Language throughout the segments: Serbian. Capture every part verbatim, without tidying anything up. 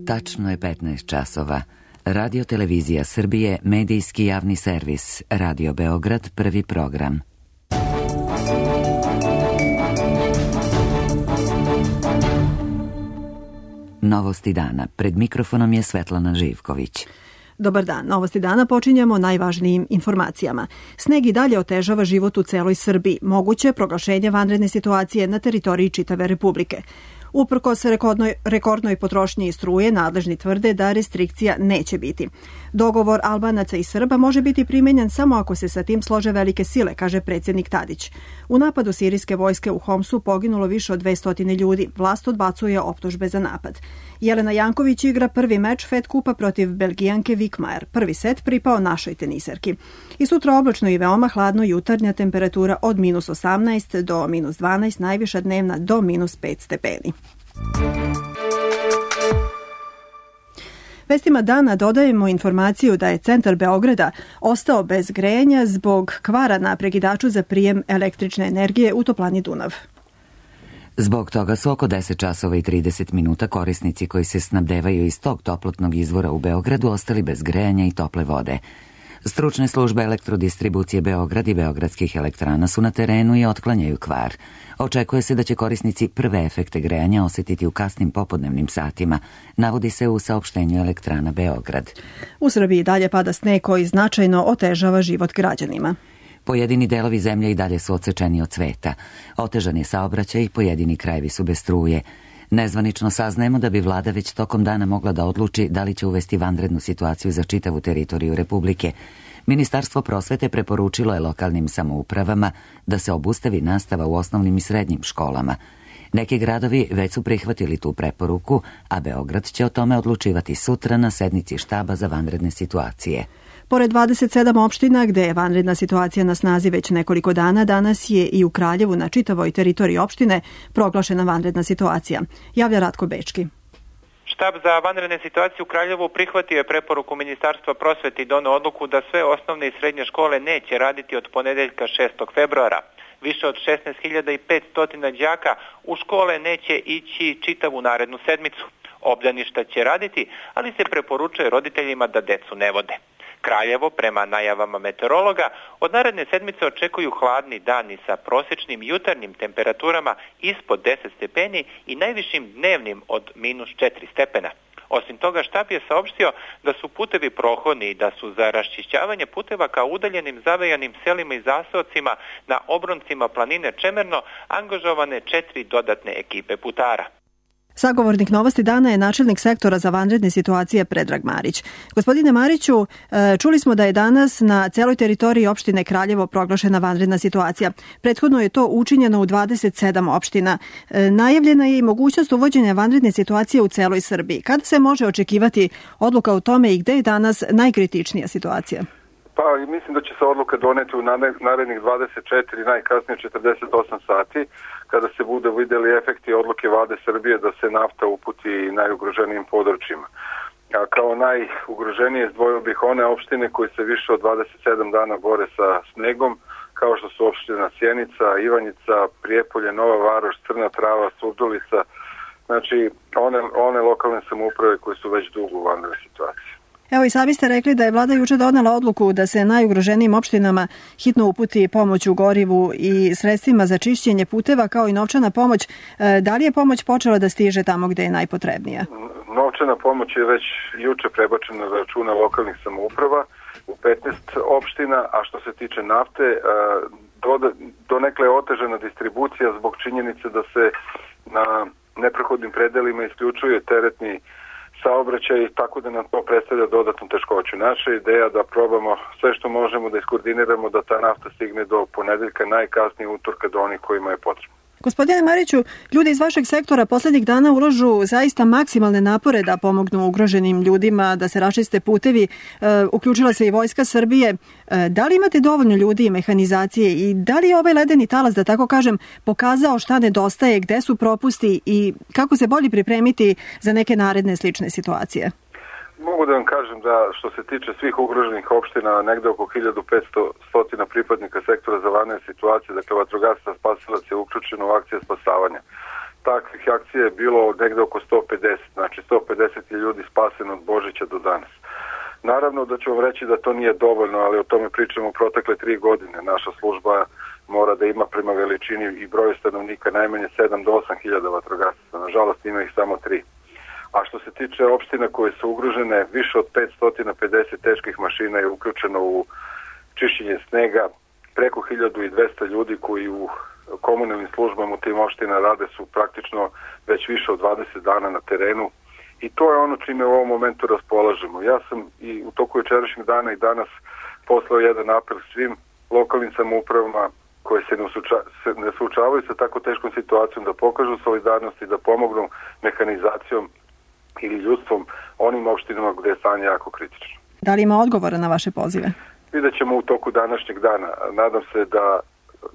Tačno je petnaest časova. Radio Televizija Srbije, medijski javni servis, Radio Beograd, prvi program. Novosti dana. Pred mikrofonom je Svetlana Živković. Dobar dan. Novosti dana počinjemo najvažnijim informacijama. Sneg i dalje otežava život u celoj Srbiji. Moguće proglašenje vanredne situacije na teritoriji čitave Republike. Uprkos rekordnoj, rekordnoj potrošnji struje, nadležni tvrde da restrikcija neće biti. Dogovor Albanaca i Srba može biti primenjen samo ako se sa tim slože velike sile, kaže predsjednik Tadić. U napadu sirijske vojske u Homsu poginulo više od dvesta ljudi. Vlast odbacuje optužbe za napad. Jelena Janković igra prvi meč Fed kupa protiv Belgijanke Vikmajer. Prvi set pripao našoj teniserki. I sutra oblačno i veoma hladno, jutarnja temperatura od minus osamnaest do minus dvanaest, najviša dnevna do minus pet stepeni. Vestima dana dodajemo informaciju da je centar Beograda ostao bez grejanja zbog kvara na prekidaču za prijem električne energije u toplani Dunav. Zbog toga su oko deset časova i trideset minuta korisnici koji se snabdevaju iz tog toplotnog izvora u Beogradu ostali bez grejanja i tople vode. Stručne službe elektrodistribucije Beograd i beogradskih elektrana su na terenu i otklanjaju kvar. Očekuje se da će korisnici prve efekte grejanja osjetiti u kasnim popodnevnim satima, navodi se u saopštenju elektrana Beograd. U Srbiji dalje pada sneg koji značajno otežava život građanima. Pojedini delovi zemlje i dalje su odsečeni od sveta. Otežan je saobraćaj i pojedini krajevi su bez struje. Nezvanično saznajemo da bi vlada već tokom dana mogla da odluči da li će uvesti vanrednu situaciju za čitavu teritoriju Republike. Ministarstvo prosvete preporučilo je lokalnim samoupravama da se obustavi nastava u osnovnim i srednjim školama. Neki gradovi već su prihvatili tu preporuku, a Beograd će o tome odlučivati sutra na sednici štaba za vanredne situacije. Pored dvadeset sedam opština gde je vanredna situacija na snazi već nekoliko dana, danas je i u Kraljevu na čitavoj teritoriji opštine proglašena vanredna situacija. Javlja Ratko Bečki. Štab za vanredne situacije u Kraljevu prihvatio je preporuku Ministarstva prosvete i doneo odluku da sve osnovne i srednje škole neće raditi od ponedeljka šestog februara. Više od šesnaest hiljada petsto đaka u škole neće ići čitavu narednu sedmicu. Obdaništa će raditi, ali se preporučuje roditeljima da decu ne vode. Kraljevo, prema najavama meteorologa, od naredne sedmice očekuju hladni dani sa prosječnim jutarnjim temperaturama ispod deset stepeni i najvišim dnevnim od minus četiri stepena. Osim toga, štab je saopštio da su putevi prohodni i da su za raščišćavanje puteva ka udaljenim zavejanim selima i zaseocima na obroncima planine Čemerno angažovane četiri dodatne ekipe putara. Sagovornik Novosti dana je načelnik sektora za vanredne situacije Predrag Marić. Gospodine Mariću, čuli smo da je danas na celoj teritoriji opštine Kraljevo proglašena vanredna situacija. Prethodno je to učinjeno u dvadeset sedam opština. Najavljena je i mogućnost uvođenja vanredne situacije u celoj Srbiji. Kada se može očekivati odluka o tome i gde je danas najkritičnija situacija? Pa mislim da će se odluka doneti u narednih dvadeset četiri, najkasnije četrdeset osam sati, kada se bude vidjeli efekti odluke Vlade Srbije da se nafta uputi najugroženijim područjima. A kao najugroženije izdvojio bih one opštine koje se više od dvadeset sedam dana bore sa snegom, kao što su opština Sjenica, Ivanjica, Prijepolje, Nova Varoš, Crna Trava, Surdulica, znači one, one lokalne samouprave koje su već dugo u vanrednoj situaciji. Evo i sami ste rekli da je vlada juče donela odluku da se najugroženijim opštinama hitno uputi pomoć u gorivu i sredstvima za čišćenje puteva kao i novčana pomoć. Da li je pomoć počela da stiže tamo gde je najpotrebnija? Novčana pomoć je već juče prebačena na račune lokalnih samouprava u petnaest opština, a što se tiče nafte, donekle je otežana distribucija zbog činjenice da se na neprohodnim predelima isključuje teretni saobraćaj, tako da nam to predstavlja dodatnu teškoću. Naša ideja da probamo sve što možemo da iskoordiniramo da ta nafta stigne do ponedeljka, najkasnije utorka do onih kojima je potrebno. Gospodine Mariću, ljudi iz vašeg sektora poslednjih dana ulažu zaista maksimalne napore da pomognu ugroženim ljudima, da se raščiste putevi. E, uključila se i Vojska Srbije. E, da li imate dovoljno ljudi i mehanizacije i da li je ovaj ledeni talas, da tako kažem, pokazao šta nedostaje, gde su propusti i kako se bolje pripremiti za neke naredne slične situacije? Mogu da vam kažem da što se tiče svih ugroženih opština, negde oko hiljadu petsto pripadnika sektora za vanredne situacije, dakle vatrogastva spasilac je uključeno u akcije spasavanja. takvih akcija je bilo negde oko sto pedeset, znači sto pedeset je ljudi spaseno od Božića do danas. Naravno da ću vam reći da to nije dovoljno, ali o tome pričamo u protekle tri godine. Naša služba mora da ima prema veličini i broju stanovnika najmanje sedam do osam hiljada vatrogasaca. Nažalost ima ih samo tri. A što se tiče opština koje su ugrožene, više od petsto pedeset teških mašina je uključeno u čišćenje snega, preko hiljadu dvesta ljudi koji u komunalnim službama u tim opština rade su praktično već više od dvadeset dana na terenu i to je ono čime u ovom momentu raspolažemo. Ja sam i u toku jučerašnjeg dana i danas poslao jedan apel svim lokalnim samoupravama koje se ne, usuča, se ne suočavaju sa tako teškom situacijom da pokažu solidarnost i da pomognu mehanizacijom ili ljudstvom onim opštinama gde je stanje jako kritično. Da li ima odgovora na vaše pozive? Vidjet ćemo u toku današnjeg dana. Nadam se da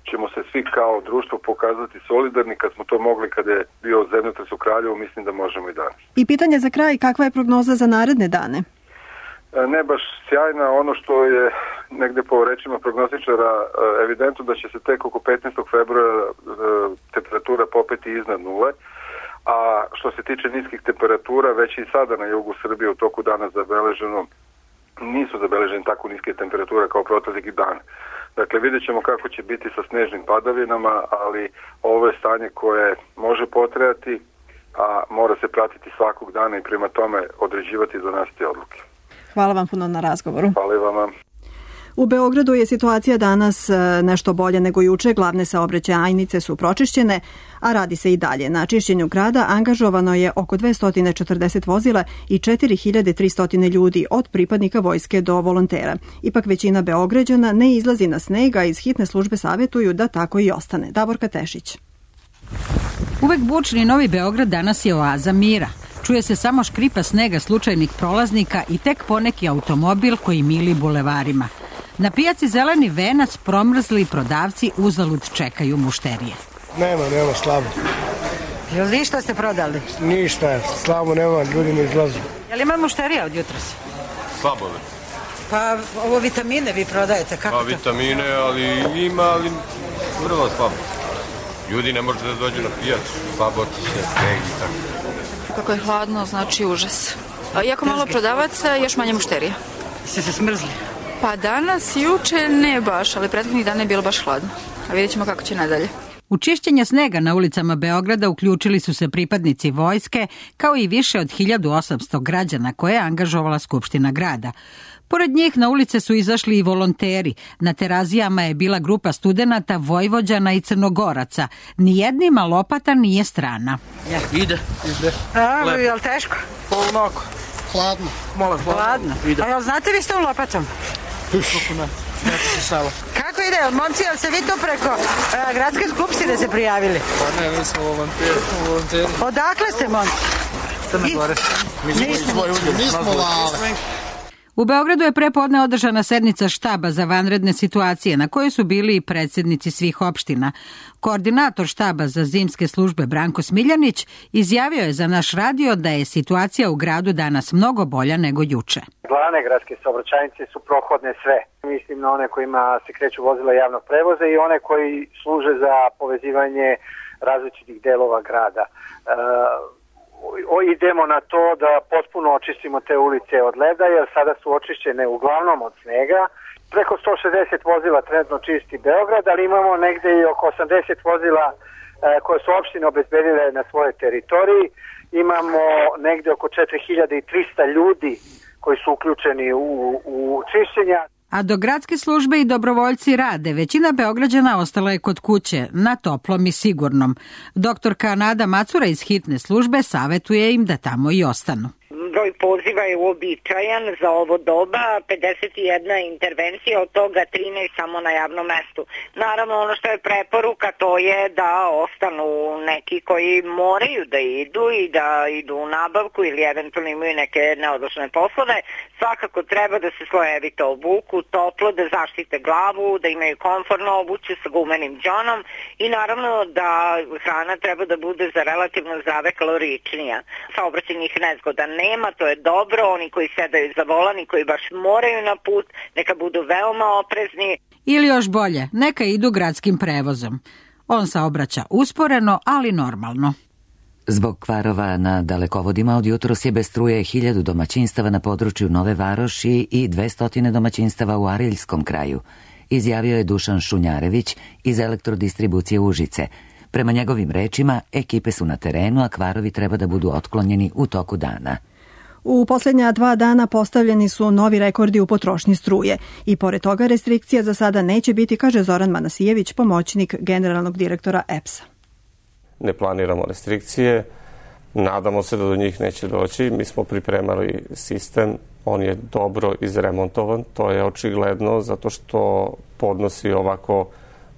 ćemo se svi kao društvo pokazati solidarni kad smo to mogli kada je bio zemljotres u Kraljevu, mislim da možemo i danas. I pitanje za kraj, kakva je prognoza za naredne dane? Ne baš sjajna, ono što je negde po rečima prognostičara evidentno da će se tek oko petnaestog februara temperatura popeti iznad nule, a što se tiče niskih temperatura, već i sada na jugu Srbije u toku dana zabeleženo, nisu zabeležene tako niske temperature kao proteklih dana. Dakle, vidjet ćemo kako će biti sa snežnim padavinama, ali ovo je stanje koje može potrajati, a mora se pratiti svakog dana i prema tome određivati i donositi odluke. Hvala vam puno na razgovoru. Hvala vam. U Beogradu je situacija danas nešto bolje nego juče, glavne saobraćajnice su pročišćene, a radi se i dalje. Na čišćenju grada angažovano je oko dvesta četrdeset vozila i četiri hiljade tristo ljudi od pripadnika vojske do volontera. Ipak većina Beograđana ne izlazi na sneg, a iz hitne službe savjetuju da tako i ostane. Davorka Tešić. Uvek bučni Novi Beograd danas je oaza mira. Čuje se samo škripa snega slučajnih prolaznika i tek poneki automobil koji mili bulevarima. Na pijaci Zeleni venac promrzli prodavci uzalud čekaju mušterije. Nema, nema, slabo. Jel ništa ste prodali? Ništa, slabo nema, ljudi ne izlazu. Jel ima mušterija od jutros? Slabo je. Pa ovo vitamine vi prodajete, kako pa, to? Pa vitamine, ali ima, ali vrlo slabo. Ljudi ne može da dođu na pijacu, slabo otiče, sneg i tako. Kako je hladno, znači užas. Iako malo prodavaca, još manje mušterija. Ste se smrzli? Pa danas, juče ne baš, ali prethodnih dana je bilo baš hladno. A vidjet ćemo kako će nadalje. U čišćenje snega na ulicama Beograda uključili su se pripadnici vojske, kao i više od hiljadu osamsto građana koje je angažovala Skupština grada. Pored njih na ulice su izašli i volonteri. Na terazijama je bila grupa studenata, Vojvođana i Crnogoraca. Nijednima lopata nije strana. Ja. Ide. Ide. A, je li teško? Onako. Hladno. Molim, hladno. Hladno. Ide. A jel znate vi s tom lopatom? Kako ne? Neće se salo. Kako ide? Momci, jel se vi tu preko a, gradske skupštine se prijavili? Pa ne, mi smo volonteri. volonteri. Odakle ste, momci? Crne Gore. Mi smo iz svoje udjel. Mi smo lale. U Beogradu je prepodne održana sednica štaba za vanredne situacije na kojoj su bili i predsjednici svih opština. Koordinator štaba za zimske službe Branko Smiljanić izjavio je za naš radio da je situacija u gradu danas mnogo bolja nego juče. Glavne gradske saobraćajnice su prohodne sve. Mislim na one kojima se kreću vozila javnog prevoza i one koji služe za povezivanje različitih delova grada. E, idemo na to da potpuno očistimo te ulice od leda, jer sada su očišćene uglavnom od snega. Preko sto šezdeset vozila trenutno čisti Beograd, ali imamo negde i oko osamdeset vozila e, koje su opštine obezbedile na svojoj teritoriji. Imamo negde oko četiri hiljade trista ljudi koji su uključeni u, u čišćenja. A dok gradske službe i dobrovoljci rade, većina Beograđana ostala je kod kuće, na toplom i sigurnom. Doktorka Nada Macura iz hitne službe savetuje im da tamo i ostanu. Broj poziva je uobičajan za ovo doba, pedeset jedna intervencija, od toga trinaest samo na javnom mestu. Naravno, ono što je preporuka to je da ostanu neki koji moraju da idu i da idu u nabavku ili eventualno imaju neke neodložne poslove. Svakako treba da se slojevito obuku, toplo, da zaštite glavu, da imaju komfortno obuće sa gumenim džonom i naravno da hrana treba da bude za relativno zdrave kaloričnija. Saobraćajnih nezgoda nema, to je dobro, oni koji sedaju za volan i koji baš moraju na put, neka budu veoma oprezni. Ili još bolje, neka idu gradskim prevozom. On saobraća usporeno, ali normalno. Zbog kvarova na dalekovodima od jutros je bez struje hiljadu domaćinstava na području Nove Varoši i dvesta domaćinstava u Ariljskom kraju, izjavio je Dušan Šunjarević iz Elektrodistribucije Užice. Prema njegovim rečima, ekipe su na terenu, a kvarovi treba da budu otklonjeni u toku dana. U posljednja dva dana postavljeni su novi rekordi u potrošnji struje i pored toga restrikcija za sada neće biti, kaže Zoran Manasijević, pomoćnik generalnog direktora E P S-a. Ne planiramo restrikcije, nadamo se da do njih neće doći. Mi smo pripremali sistem, on je dobro izremontovan, to je očigledno zato što podnosi ovako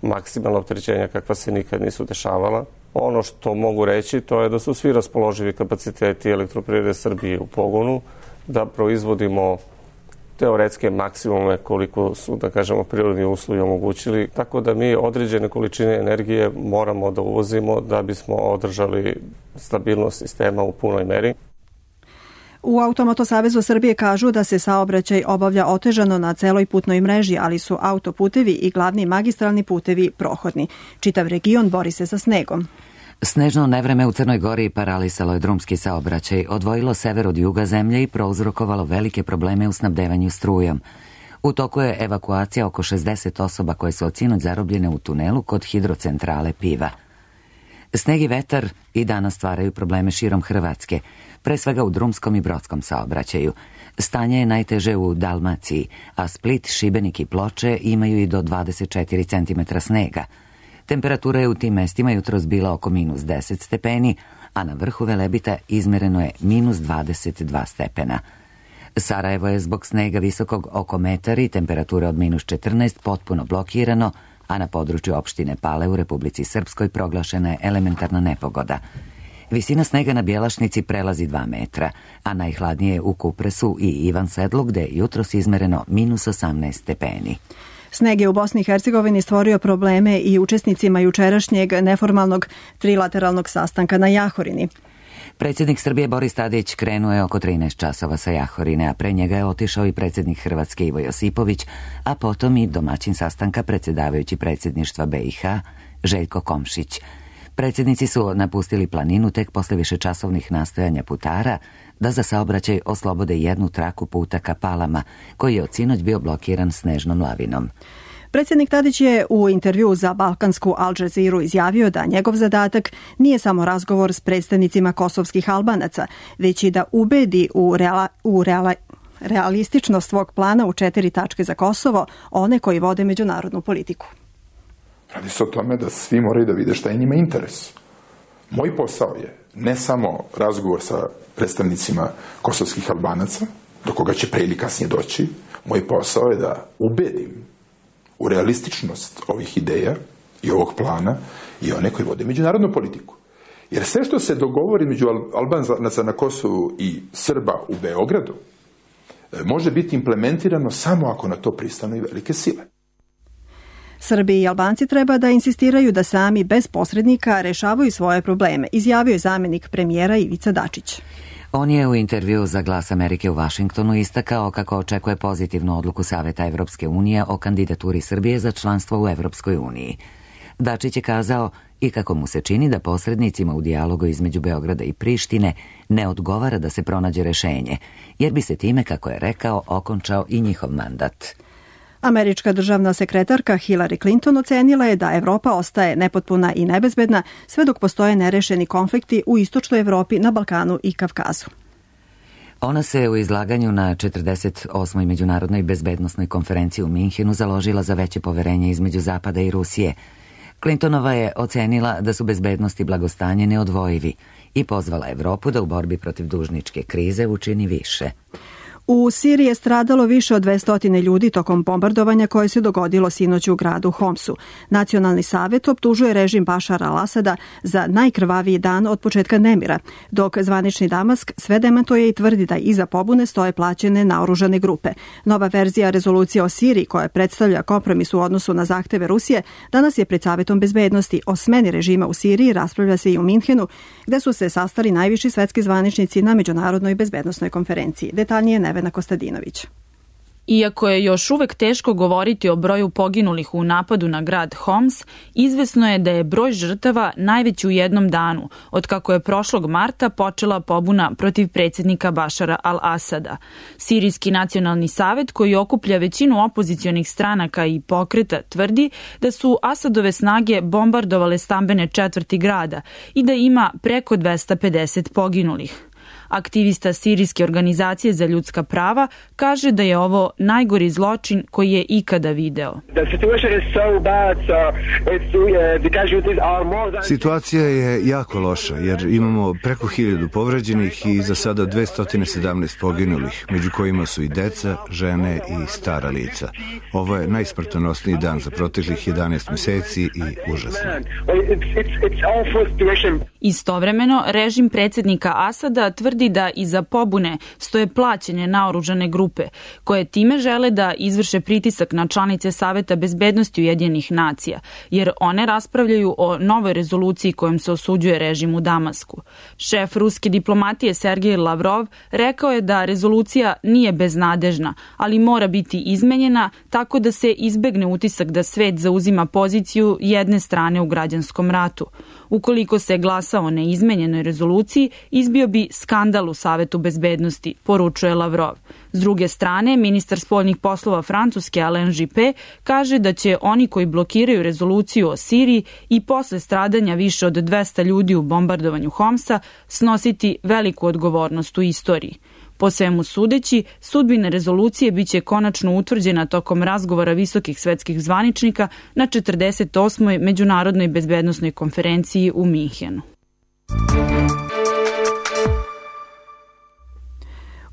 maksimalna opterećenja kakva se nikad nisu dešavala. Ono što mogu reći to je da su svi raspoloživi kapaciteti Elektroprivrede Srbije u pogonu, da proizvodimo teoretske maksimume koliko su, da kažemo, prirodni uslovi omogućili, tako da mi određene količine energije moramo da uvozimo da bismo održali stabilnost sistema u punoj meri. U Automoto savezu Srbije kažu da se saobraćaj obavlja otežano na celoj putnoj mreži, ali su autoputevi i glavni magistralni putevi prohodni. Čitav region bori se sa snegom. Snežno nevreme u Crnoj Gori paralisalo je drumski saobraćaj, odvojilo sever od juga zemlje i prouzrokovalo velike probleme u snabdevanju strujom. U toku je evakuacija oko šezdeset osoba koje su od sinoć zarobljene u tunelu kod hidrocentrale Piva. Sneg i vetar i danas stvaraju probleme širom Hrvatske, pre svega u drumskom i brodskom saobraćaju. Stanje je najteže u Dalmaciji, a Split, Šibenik i Ploče imaju i do dvadeset četiri centimetra snega. Temperatura je u tim mestima jutros bila oko minus deset stepeni, a na vrhu Velebita izmereno je minus dvadeset dva stepena. Sarajevo je zbog snega visokog oko metar i temperature od minus četrnaest potpuno blokirano, a na području opštine Pale u Republici Srpskoj proglašena je elementarna nepogoda. Visina snega na Bjelašnici prelazi dva metra, a najhladnije u Kupresu i Ivan Sedlu, gde je jutros izmereno minus osamnaest stepeni. Sneg je u Bosni i Hercegovini stvorio probleme i učesnicima jučerašnjeg neformalnog trilateralnog sastanka na Jahorini. Predsjednik Srbije Boris Tadić krenuo je oko trinaest časova sa Jahorine, a pre njega je otišao i predsjednik Hrvatske Ivo Josipović, a potom i domaćin sastanka predsjedavajući predsjedništva B i H Željko Komšić. Predsjednici su napustili planinu tek posle višečasovnih nastojanja putara da za saobraćaj oslobode jednu traku puta ka Palama, koji je od sinoć bio blokiran snežnom lavinom. Predsjednik Tadić je u intervju za balkansku Al Jazeeru izjavio da njegov zadatak nije samo razgovor s predstavnicima kosovskih Albanaca, već i da ubedi u, reala, u reala, realističnost svog plana u četiri tačke za Kosovo one koji vode međunarodnu politiku. Radi se o tome da svi moraju da vide šta je njima interes. Moj posao je ne samo razgovor sa predstavnicima kosovskih Albanaca, do koga će pre ili kasnije doći, moj posao je da ubedim u realističnost ovih ideja i ovog plana i one koji vode međunarodnu politiku. Jer sve što se dogovori među Albanaca na Kosovu i Srba u Beogradu može biti implementirano samo ako na to pristanu i velike sile. Srbi i Albanci treba da insistiraju da sami bez posrednika rešavaju svoje probleme, izjavio je zamjenik premijera Ivica Dačić. On je u intervju za Glas Amerike u Vašingtonu istakao kako očekuje pozitivnu odluku Saveta Evropske unije o kandidaturi Srbije za članstvo u Evropskoj uniji. Dačić je kazao i kako mu se čini da posrednicima u dijalogu između Beograda i Prištine ne odgovara da se pronađe rešenje, jer bi se time, kako je rekao, okončao i njihov mandat. Američka državna sekretarka Hillary Clinton ocenila je da Evropa ostaje nepotpuna i nebezbedna sve dok postoje nerešeni konflikti u istočnoj Evropi, na Balkanu i Kavkazu. Ona se u izlaganju na četrdeset osmoj međunarodnoj bezbednosnoj konferenciji u Minhenu založila za veće poverenje između Zapada i Rusije. Clintonova je ocenila da su bezbednost i blagostanje neodvojivi i pozvala Evropu da u borbi protiv dužničke krize učini više. U Siriji je stradalo više od dvesta ljudi tokom bombardovanja koje se dogodilo sinoć u gradu Homsu. Nacionalni savjet optužuje režim Bašara al-Asada za najkrvaviji dan od početka nemira, dok zvanični Damask sve demantuje i tvrdi da iza pobune stoje plaćene naoružane grupe. Nova verzija rezolucije o Siriji, koja predstavlja kompromis u odnosu na zahteve Rusije, danas je pred Savetom bezbednosti. O smeni režima u Siriji raspravlja se i u Minhenu, gde su se sastali najviši svetski zvaničnici na Međunarodnoj bezbednosnoj konferenciji. Detaljnije Nevena Kostadinović. Iako je još uvek teško govoriti o broju poginulih u napadu na grad Homs, izvesno je da je broj žrtava najveći u jednom danu, otkako je prošlog marta počela pobuna protiv predsjednika Bašara al-Asada. Sirijski nacionalni savet, koji okuplja većinu opozicionih stranaka i pokreta, tvrdi da su Asadove snage bombardovale stambene četvrti grada i da ima preko dvesta pedeset poginulih. Aktivista Sirijske organizacije za ljudska prava kaže da je ovo najgori zločin koji je ikada video. Situacija je jako loša jer imamo preko hiljadu povređenih i za sada dvesta sedamnaest poginulih, među kojima su i deca, žene i stara lica. Ovo je najsmrtonosniji dan za proteklih jedanaest meseci i užasno. Istovremeno, režim predsjednika Asada tvrdi da iza pobune stoje plaćene naoružane grupe, koje time žele da izvrše pritisak na članice Saveta bezbednosti Ujedinjenih nacija, jer one raspravljaju o novoj rezoluciji kojom se osuđuje režim u Damasku. Šef ruske diplomatije Sergej Lavrov rekao je da rezolucija nije beznadežna, ali mora biti izmenjena tako da se izbegne utisak da svet zauzima poziciju jedne strane u građanskom ratu. Ukoliko se glasa o neizmenjenoj rezoluciji, izbio bi skandal u Savetu bezbednosti, poručuje Lavrov. S druge strane, ministar spoljnih poslova Francuske Alain Juppé kaže da će oni koji blokiraju rezoluciju o Siriji i posle stradanja više od dvesta ljudi u bombardovanju Homsa snositi veliku odgovornost u istoriji. Po svemu sudeći, sudbina rezolucije biće konačno utvrđena tokom razgovora visokih svetskih zvaničnika na četrdeset osmoj Međunarodnoj bezbednosnoj konferenciji u Minhenu.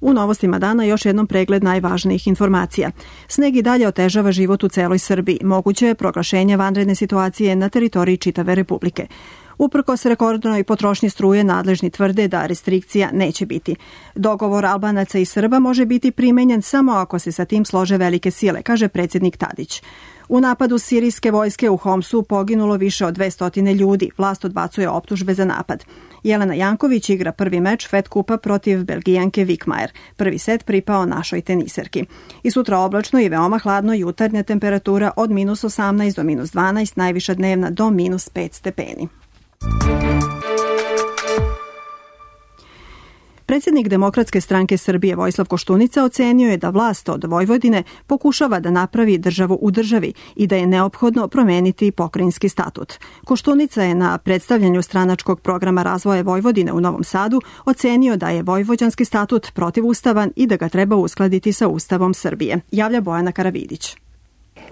U novostima dana još jednom pregled najvažnijih informacija. Sneg i dalje otežava život u celoj Srbiji. Moguće je proglašenje vanredne situacije na teritoriji čitave Republike. Uprkos rekordnoj potrošnji struje, nadležni tvrde da restrikcija neće biti. Dogovor Albanaca i Srba može biti primenjen samo ako se sa tim slože velike sile, kaže predsjednik Tadić. U napadu sirijske vojske u Homsu poginulo više od dvesta ljudi. Vlast odbacuje optužbe za napad. Jelena Janković igra prvi meč Fed kupa protiv Belgijanke Vikmajer. Prvi set pripao našoj teniserki. I sutra oblačno i veoma hladno, jutarnja temperatura od minus osamnaest do minus dvanaest, najviša dnevna do minus pet stepeni. Predsjednik Demokratske stranke Srbije Vojislav Koštunica ocenio je da vlast od Vojvodine pokušava da napravi državu u državi i da je neophodno promeniti pokrajinski statut. Koštunica je na predstavljanju stranačkog programa razvoja Vojvodine u Novom Sadu ocenio da je vojvođanski statut protivustavan i da ga treba uskladiti sa Ustavom Srbije. Javlja Bojana Karavidić.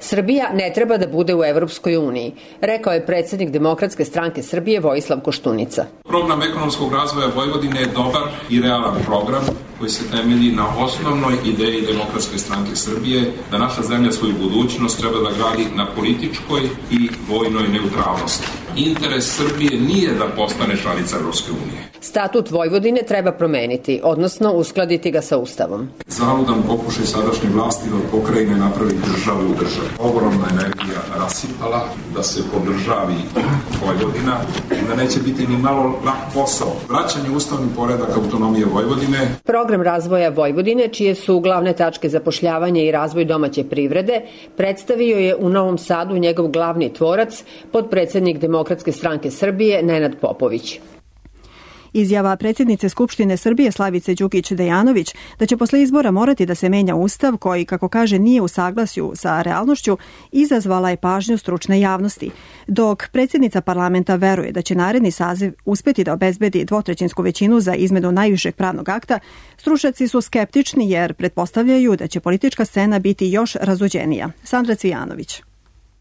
Srbija ne treba da bude u Evropskoj uniji, rekao je predsjednik Demokratske stranke Srbije Vojislav Koštunica. Program ekonomskog razvoja Vojvodine je dobar i realan program koji se temelji na osnovnoj ideji Demokratske stranke Srbije da naša zemlja svoju budućnost treba da gradi na političkoj i vojnoj neutralnosti. Interes Srbije nije da postane članica Evropske unije. Statut Vojvodine treba promeniti, odnosno uskladiti ga sa Ustavom. Zaludan pokušaj sadašnje vlasti da od pokrajine napravi državu u državi. Ogromna energija rasipala da se podržavi Vojvodina, da neće biti ni malo lak posao. Vraćanje ustavni poredak autonomije Vojvodine. Program razvoja Vojvodine, čije su glavne tačke zapošljavanje i razvoj domaće privrede, predstavio je u Novom Sadu njegov glavni tvorac, potpredsednik Demokratske stranke Srbije Nenad Popović. Izjava predsjednice Skupštine Srbije Slavice Đukić-Dejanović da će posle izbora morati da se menja ustav koji, kako kaže, nije u saglasju sa realnošću, izazvala je pažnju stručne javnosti. Dok predsjednica parlamenta veruje da će naredni saziv uspeti da obezbedi dvotrećinsku većinu za izmenu najvišeg pravnog akta, stručnjaci su skeptični jer pretpostavljaju da će politička scena biti još razuđenija. Sandra Cvijanović.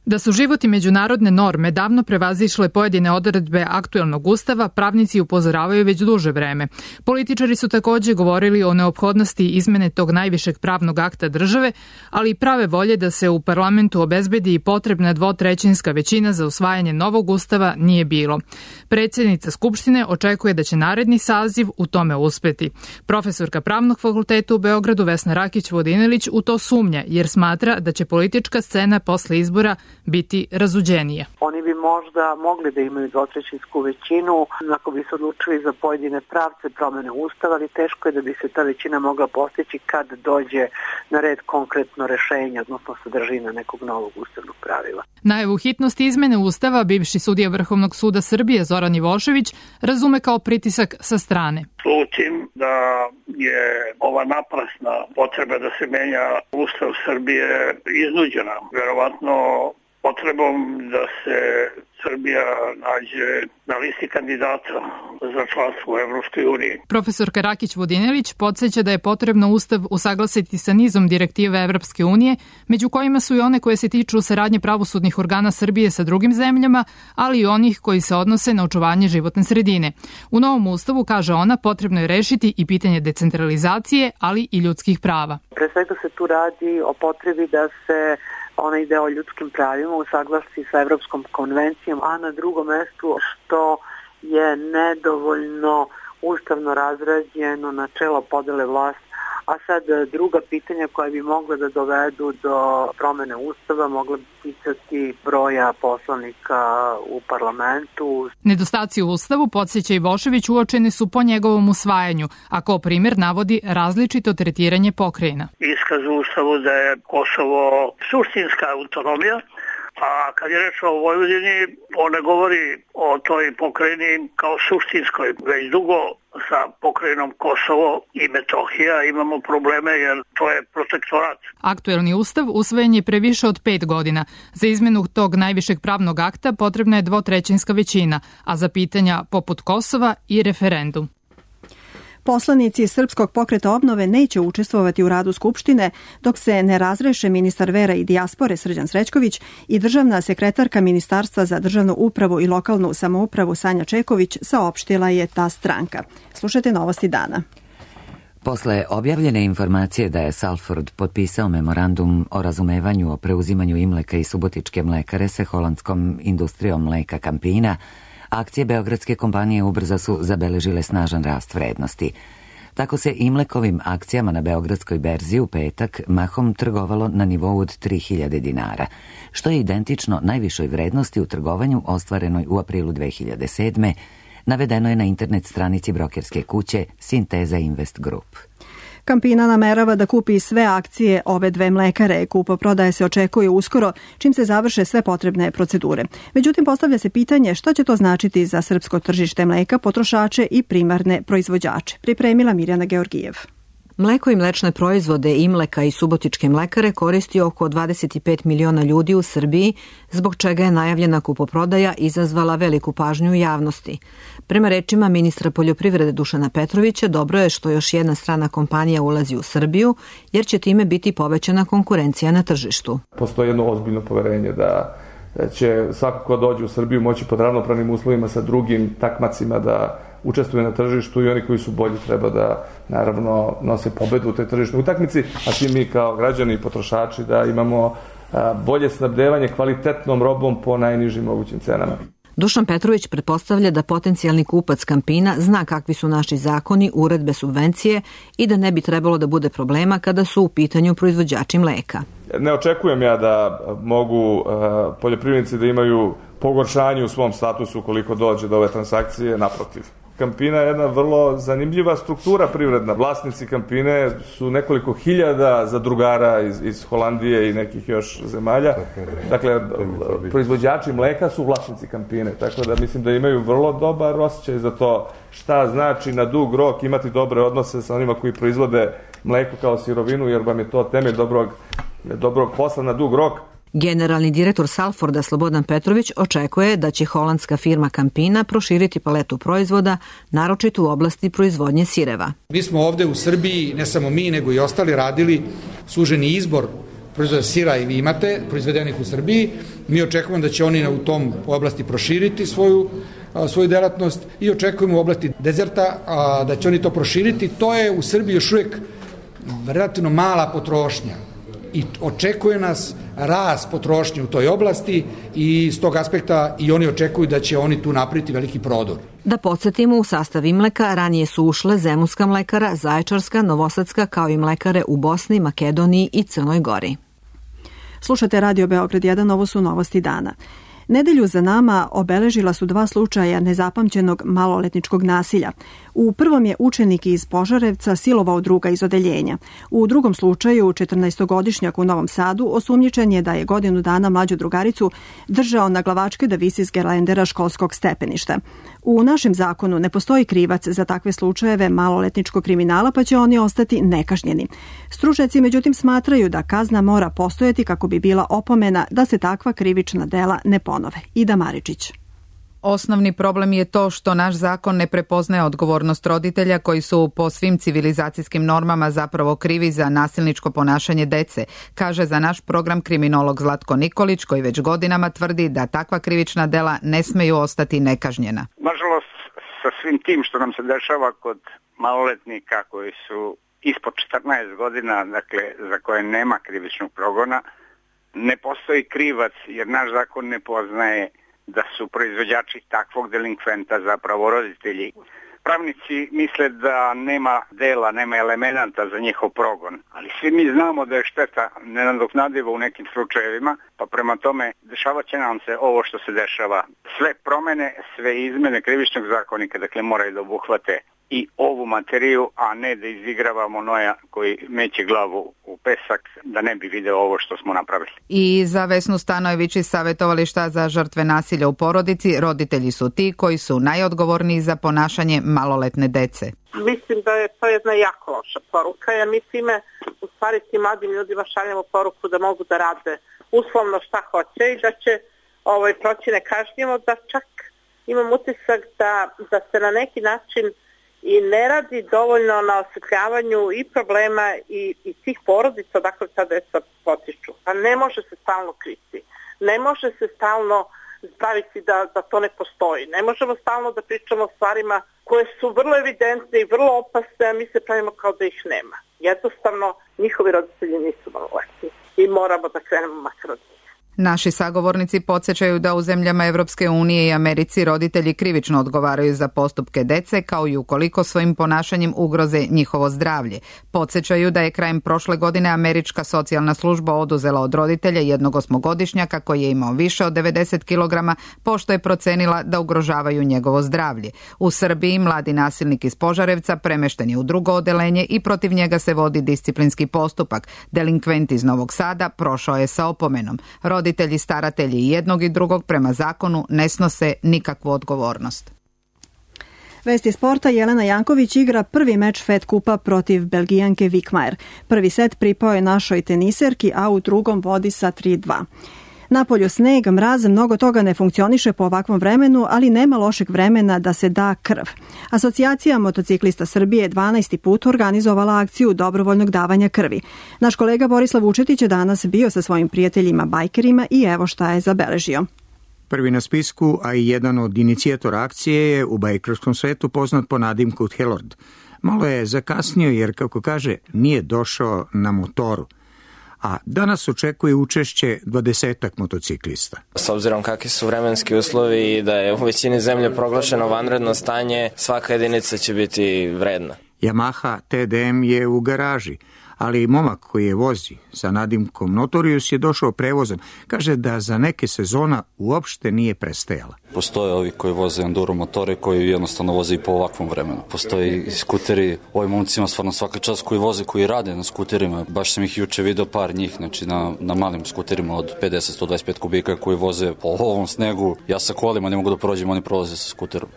Da su život i međunarodne norme davno prevazišle pojedine odredbe aktuelnog ustava, pravnici upozoravaju već duže vreme. Političari su takođe govorili o neophodnosti izmene tog najvišeg pravnog akta države, ali i prave volje da se u parlamentu obezbedi i potrebna dvotrećinska većina za usvajanje novog ustava nije bilo. Predsjednica Skupštine očekuje da će naredni saziv u tome uspeti. Profesorka Pravnog fakulteta u Beogradu Vesna Rakić-Vodinelić u to sumnja, jer smatra da će politička scena posle izbora biti razuđenije. Oni bi možda mogli da imaju dvotrećinsku većinu ako bi se odlučili za pojedine pravce promene ustava, ali teško je da bi se ta većina mogla postići kad dođe na red konkretno rešenje, odnosno sadržina nekog novog ustavnog pravila. Najavu hitnosti izmene ustava bivši sudija Vrhovnog suda Srbije Zoran Ivošević razume kao pritisak sa strane. Slutim da je ova naprasna potreba da se menja Ustav Srbije iznuđena, verovatno potrebom da se Srbija nađe na listi kandidata za članstvo u Evropskoj uniji. Profesor Rakić Vodinelić podsjeća da je potrebno Ustav usaglasiti sa nizom direktive Evropske unije, među kojima su i one koje se tiču saradnje pravosudnih organa Srbije sa drugim zemljama, ali i onih koji se odnose na očuvanje životne sredine. U novom Ustavu, kaže ona, potrebno je rešiti i pitanje decentralizacije, ali i ljudskih prava. Pre svega se tu radi o potrebi da se onaj deo o ljudskim pravima usaglasi sa Evropskom konvencijom, a na drugom mestu što je nedovoljno ustavno razrađeno načelo podele vlasti. A sad druga pitanja koja bi mogla da dovedu do promene ustava mogla bi ticati broja poslanika u parlamentu. Nedostaci u ustavu, podsjeća Ivošević, uočeni su po njegovom usvajanju, a kao primjer navodi različito tretiranje pokrajina. Iskaz u ustavu da je Kosovo suštinska autonomija, a kad je reč o Vojvodini, on ne govori o toj pokrajini kao suštinskoj. Već dugo sa pokrajinom Kosovo i Metohija imamo probleme jer to je protektorat. Aktuelni ustav usvojen je pre više od pet godina. Za izmenu tog najvišeg pravnog akta potrebna je dvotrećinska većina, a za pitanja poput Kosova i referendum. Poslanici Srpskog pokreta obnove neće učestvovati u radu Skupštine dok se ne razreše ministar vera i dijaspore Srđan Srećković i državna sekretarka Ministarstva za državnu upravu i lokalnu samoupravu Sanja Čeković, saopštila je ta stranka. Slušajte novosti dana. Posle objavljene informacije da je Salford potpisao memorandum o razumevanju o preuzimanju Imleka i Subotičke mlekare sa holandskom industrijom mleka Campina, akcije beogradske kompanije ubrzo su zabeležile snažan rast vrednosti. Tako se Imlekovim akcijama na beogradskoj berzi u petak mahom trgovalo na nivou od tri hiljade dinara, što je identično najvišoj vrednosti u trgovanju ostvarenoj u aprilu dve hiljade sedme, navedeno je na internet stranici brokerske kuće Sinteza Invest Group. Campina namerava da kupi sve akcije ove dve mlekare. Kupoprodaja se očekuje uskoro, čim se završe sve potrebne procedure. Međutim, postavlja se pitanje šta će to značiti za srpsko tržište mleka, potrošače i primarne proizvođače. Pripremila Mirjana Georgijev. Mleko i mlečne proizvode Imleka i Subotičke mlekare koristi oko dvadeset pet miliona ljudi u Srbiji, zbog čega je najavljena kupoprodaja izazvala veliku pažnju u javnosti. Prema rečima ministra poljoprivrede Dušana Petrovića, dobro je što još jedna strana kompanija ulazi u Srbiju, jer će time biti povećana konkurencija na tržištu. Postoji jedno ozbiljno poverenje da će svako ko dođe u Srbiju moći pod ravnopravnim uslovima sa drugim takmacima da učestvuje na tržištu i oni koji su bolji treba da naravno nose pobedu u toj tržišnoj utakmici, a svi mi kao građani i potrošači da imamo bolje snabdevanje kvalitetnom robom po najnižim mogućim cenama. Dušan Petrović pretpostavlja da potencijalni kupac Campina zna kakvi su naši zakoni, uredbe, subvencije i da ne bi trebalo da bude problema kada su u pitanju proizvođači mleka. Ne očekujem ja da mogu poljoprivrednici da imaju pogoršanje u svom statusu koliko dođe do ove transakcije, naprotiv. Campina je jedna vrlo zanimljiva struktura privredna. Vlasnici Campine su nekoliko hiljada zadrugara iz, iz Holandije i nekih još zemalja. Dakle, proizvođači mleka su vlasnici Campine, tako da mislim da imaju vrlo dobar osjećaj za to šta znači na dug rok imati dobre odnose sa onima koji proizvode mleko kao sirovinu, jer vam je to temelj dobrog, dobrog posla na dug rok. Generalni direktor Salforda Slobodan Petrović očekuje da će holandska firma Campina proširiti paletu proizvoda, naročito u oblasti proizvodnje sireva. Mi smo ovde u Srbiji, ne samo mi, nego i ostali radili suženi izbor proizvoda sira i vi imate, proizvedenih u Srbiji. Mi očekujemo da će oni u tom oblasti proširiti svoju, svoju delatnost i očekujemo u oblasti dezerta da će oni to proširiti. To je u Srbiji još uvijek relativno mala potrošnja. I očekuje nas rast potrošnje u toj oblasti i s tog aspekta i oni očekuju da će oni tu napraviti veliki prodor. Da podsjetimo, u sastav Imleka ranije su ušle Zemunska mlekara, Zaječarska, Novosadska, kao i mlekare u Bosni, Makedoniji i Crnoj Gori. Slušate Radio Beograd jedan, ovo su novosti dana. Nedelju za nama obeležila su dva slučaja nezapamćenog maloletničkog nasilja. U prvom je učenik iz Požarevca silovao druga iz odeljenja. U drugom slučaju, četrnaestogodišnjak u Novom Sadu osumnjičen je da je godinu dana mlađu drugaricu držao na glavačke da visi s gerlendera školskog stepeništa. U našem zakonu ne postoji krivac za takve slučajeve maloletničkog kriminala, pa će oni ostati nekažnjeni. Stručnjaci međutim smatraju da kazna mora postojati kako bi bila opomena da se takva krivična dela ne ponove. Ida Maričić. Osnovni problem je to što naš zakon ne prepoznaje odgovornost roditelja koji su po svim civilizacijskim normama zapravo krivi za nasilničko ponašanje dece, kaže za naš program kriminolog Zlatko Nikolić, koji već godinama tvrdi da takva krivična dela ne smeju ostati nekažnjena. Nažalost, sa svim tim što nam se dešava kod maloletnika koji su ispod četrnaest godina, dakle za koje nema krivičnog progona, ne postoji krivac jer naš zakon ne poznaje da su proizvođači takvog delinkventa zapravo roditelji. Pravnici misle da nema dela, nema elemenata za njihov progon, ali svi mi znamo da je šteta nenadoknadiva u nekim slučajevima, pa prema tome dešavat će nam se ovo što se dešava. Sve promene, sve izmene krivičnog zakonika, dakle moraju da obuhvate i ovu materiju, a ne da izigravamo Noja koji meće glavu u pesak da ne bi video ovo što smo napravili. I za Vesnu Stanojević iz Savjetovališta za žrtve nasilja u porodici, roditelji su ti koji su najodgovorniji za ponašanje maloletne dece. Mislim da je to jedna jako loša poruka, jer mi time u stvari tim mladim ljudima šaljemo poruku da mogu da rade uslovno šta hoće i da će ovaj, proći nekažnjivo, da čak imam utisak da, da se na neki način i ne radi dovoljno na osvetljavanju i problema i, i tih porodica, dakle ta deca potiču. Pa ne može se stalno kriti, ne može se stalno spraviti da, da to ne postoji. Ne možemo stalno da pričamo o stvarima koje su vrlo evidentne i vrlo opasne, a mi se pravimo kao da ih nema. Jednostavno, njihovi roditelji nisu maloletni i moramo da krenemo makar od njih. Naši sagovornici podsjećaju da u zemljama Evropske unije i Americi roditelji krivično odgovaraju za postupke dece, kao i ukoliko svojim ponašanjem ugroze njihovo zdravlje. Podsjećaju da je krajem prošle godine američka socijalna služba oduzela od roditelja jednog osmogodišnjaka koji je imao više od devedeset kilograma, pošto je procenila da ugrožavaju njegovo zdravlje. U Srbiji mladi nasilnik iz Požarevca premešten je u drugo odeljenje i protiv njega se vodi disciplinski postupak. Delinkvent iz Novog Sada prošao je sa opomenom. Roditelji, staratelji jednog i drugog prema zakonu ne snose nikakvu odgovornost. Vesti sporta. Jelena Janković igra prvi meč Fed kupa protiv Belgijanke Vikmajer. Prvi set pripao je našoj teniserki, a u drugom vodi sa tri dva. Napolju sneg, mraz, mnogo toga ne funkcioniše po ovakvom vremenu, ali nema lošeg vremena da se da krv. Asocijacija motociklista Srbije dvanaesti put organizovala akciju dobrovoljnog davanja krvi. Naš kolega Borislav Vučetić je danas bio sa svojim prijateljima bajkerima i evo šta je zabeležio. Prvi na spisku, a i jedan od inicijatora akcije je u bajkerskom svetu poznat po nadimku Helord. Malo je zakasnio jer, kako kaže, nije došao na motoru. A danas očekuje učešće dvadesetak motociklista. S obzirom kakvi su vremenski uslovi i da je u većini zemlje proglašeno vanredno stanje, svaka jedinica će biti vredna. Yamaha T D M je u garaži, ali momak koji je vozi sa nadimkom Notorious je došao prevozom. Kaže da za neke sezona uopšte nije prestajala. Postoje ovi koji voze enduro motore koji jednostavno voze i po ovakvom vremenu. Postoji i skuteri, ovim momcima stvarno svaka čast koji voze, koji rade na skuterima. Baš sam ih juče video par njih, znači na, na malim skuterima od pedeset do sto dvadeset pet kubika koji voze po ovom snegu. Ja sa kolima ne mogu da prođem, oni prolaze sa skuterom.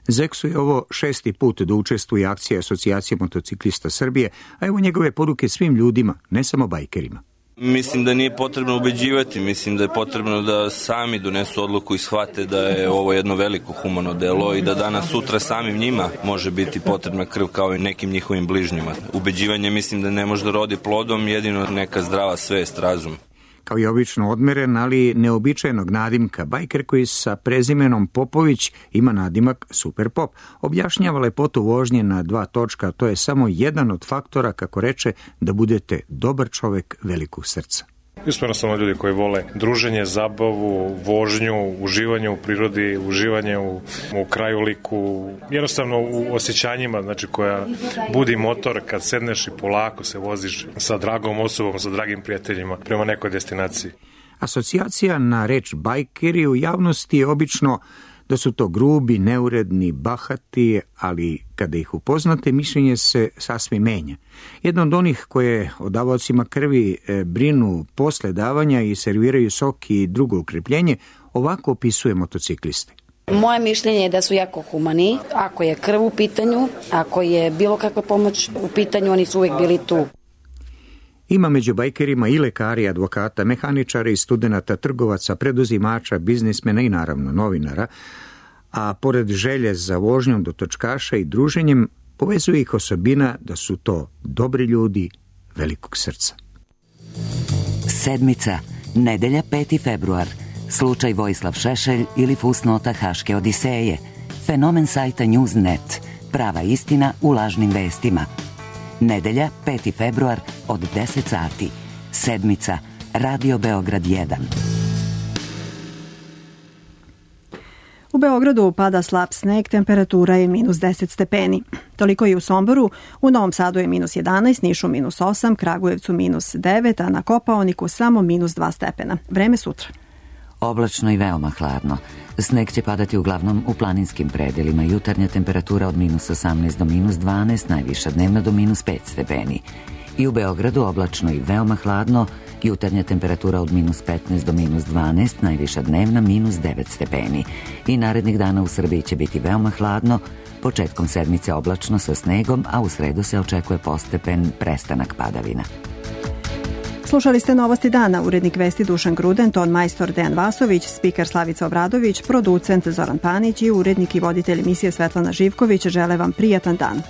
Zeksu je ovo šesti put da učestvuje akcije Asocijacije motociklista Srbije, a evo njegove poruke svim ljudima, ne samo bajkerima. Mislim da nije potrebno ubeđivati, mislim da je potrebno da sami donesu odluku i shvate da je ovo jedno veliko humano delo i da danas sutra samim njima može biti potrebna krv kao i nekim njihovim bližnjima. Ubeđivanje mislim da ne može da rodi plodom, jedino neka zdrava svest, razum. Kao i obično odmeren, ali neobičajenog nadimka, bajker koji sa prezimenom Popović ima nadimak Super Pop. Objašnjava lepotu vožnje na dva točka, a to je samo jedan od faktora, kako reče, da budete dobar čovek velikog srca. Mi smo jednostavno ljudi koji vole druženje, zabavu, vožnju, uživanje u prirodi, uživanje u, u krajoliku, jednostavno u osjećanjima, znači koja budi motor kad sedneš i polako se voziš sa dragom osobom, sa dragim prijateljima prema nekoj destinaciji. Asocijacija na reč bajkeri u javnosti je obično da su to grubi, neuredni, bahati, ali kada ih upoznate, mišljenje se sasvim menja. Jedno od onih koje o davaocima krvi brinu posle davanja i serviraju sok i drugo ukrepljenje, ovako opisuje motocikliste. Moje mišljenje je da su jako humani. Ako je krv u pitanju, ako je bilo kakva pomoć u pitanju, oni su uvijek bili tu. Ima među bajkerima i lekari, advokata, mehaničara i studenata, trgovaca, preduzimača, biznismena i naravno novinara, a pored želje za vožnjom do točkaša i druženjem, povezuje ih osobina da su to dobri ljudi velikog srca. Sedmica, nedelja peti februar, slučaj Vojislav Šešelj ili fusnota Haške odiseje, fenomen sajta News dot net, prava istina u lažnim vestima. Nedelja peti februar od deset sati. Sedmica, Radio Beograd jedan. U Beogradu pada slab sneg, temperatura je minus deset stepeni. Toliko i u Somboru, u Novom Sadu je minus jedanaest, Nišu minus osam, Kragujevcu minus devet, a na Kopaoniku samo minus dva stepena. Vreme sutra. Oblačno i veoma hladno. Sneg će padati uglavnom u planinskim predelima. Jutarnja temperatura od minus osamnaest do minus dvanaest, najviša dnevna do minus pet stepeni. I u Beogradu oblačno i veoma hladno, jutarnja temperatura od minus petnaest do minus dvanaest, najviša dnevna minus devet stepeni. I narednih dana u Srbiji će biti veoma hladno, početkom sedmice oblačno sa snegom, a u sredu se očekuje postepen prestanak padavina. Slušali ste Novosti dana, urednik vesti Dušan Gruden, ton majstor Dejan Vasović, spiker Slavica Obradović, producent Zoran Panić i urednik i voditelj emisije Svetlana Živković žele vam prijatan dan.